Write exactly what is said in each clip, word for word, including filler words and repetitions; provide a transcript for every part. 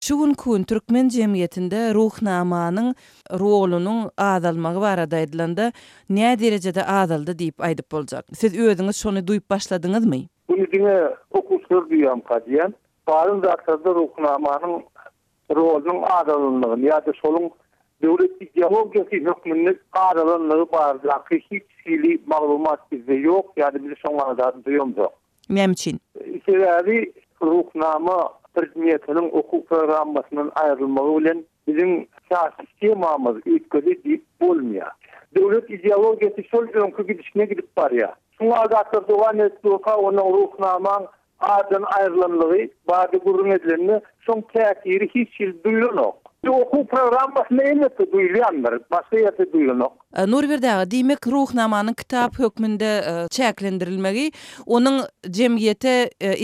Şu günki gün türkmen jemgyýetinde Ruhnamanyň rolunyň azalmagy barada aýdylanda, nä derejede azaldy diýip aýdyp boljak? Siz özüňiz şony duýup başladyňyzmy? Muny diňe okuwçylar duýýarmyka diýýän. Galan zatlarda Ruhnamanyň rolunyň azalanlygyny ýa-da şonuň döwlet ideologiýasy hökmünde azalanlygy baradaky hiç hili maglumat bizde ýok, ýa-da biz şoňa zat duýamzok. Näme üçin? Sebäbi Ruhnama predmetiniň okuw programmasyndan aýrylmagy bilen biziň syýasy sistemamyz üýtgedi diýip bolmaýar. Döwlet ideologiýasy şol öňki gidişine gidip barýar. Şuňa zatlar dowam edip durka, onuň Ruhnamaň addan aýrylanlygy barada gürrüň edilende, şoň täsiri hiç hili duýlanok. Okuw programmasynda elbetde duýulýandyr, başga ýerde duýlanok. Nurberdi aga, diýmek, Ruhnamanyň kitap hökmünde çäklendirilmegi onuň jemgyýete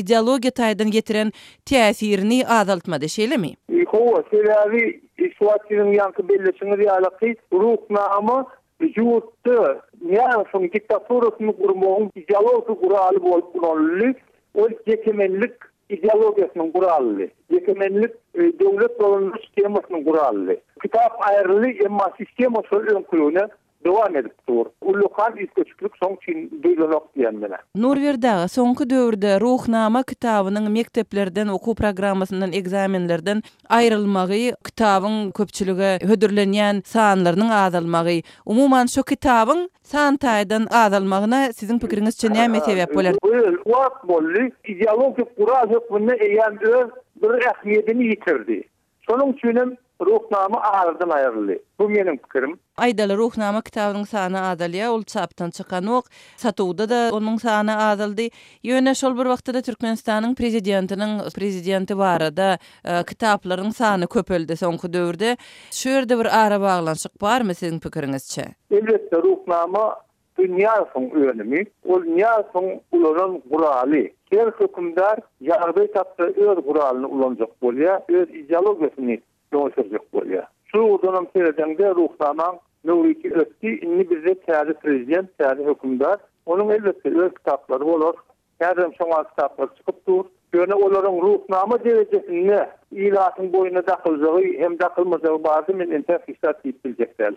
ideologiýa taýdan getiren täsirini azaltmady, şeýlemi? Hawa, sebäbi şu wagt siziň ýaňky belleşiňiz ýalyky Ruhnama ýurtda Nyýazowyň diktaturasyny gurmagyň ideologik guraly bolup ulanyldy. Ol ýekemenlik ideologiýasynyň guralydy. Ýekemenlik döwlet dolandyryş sistemasynyň guralydy. Kitap aýryldy, emma sistema şol öňküligine dowam edip dur. Ullakan üýtgeşiklik şoň üçin duýlanok diýen menä. Nurberdi aga, soňky döwürde Ruhnama kitabynyň mekdeplerden, okuw programmasyndan, ekzamenlerden aýrylmagy, kitabyň köpçülige hödürlenýän sanlarynyň azalmagy, umuman şu kitabyň san taýdan azalmagyna siziň pikiriňizçe näme sebäp bolar? Bu wagt boldy, ideologik gural hökmünde eýýäm öz bir ähmiýetini ýitirdi. Şonuň üçin hem Ruhnama aradan aýryldy. Bu meniň pikirim. Aýdaly, Ruhnama kitabynyň sany azalýar, ol çapdan çykanok, satuwda-da onuň sany azaldy. Ýöne şol bir wagtda-da Türkmenistanyň prezidentiniň prezidenti barada kitaplaryň sany köpeldi soňky döwürde. Şu ýerde bir arabaglanyşyk barmy siziň pikiriňizçe? Elbetde, Ruhnama bu Nyýazowyň önümi, ol Nyýazowyň ulanan guraly. Her hökümdar ýagdaý tapsa öz guralyny ulanjak bolýar, öz ideologiýasyny öňe sürjek bolýar. Şu ugurdanam seredeňde Ruhnamaň möwriti ötdi, indi bizde täze prezident, täze hökümdar. Onuň elbetde öz kitaplary bolar. Häzirem şoňa kitaplar çykyp dur. Ýöne olaryň Ruhnama derejesinde ilatyň boýnuna dakyljagy hem dakylmajagy barada men entäk hiç zat diýip biljek däl.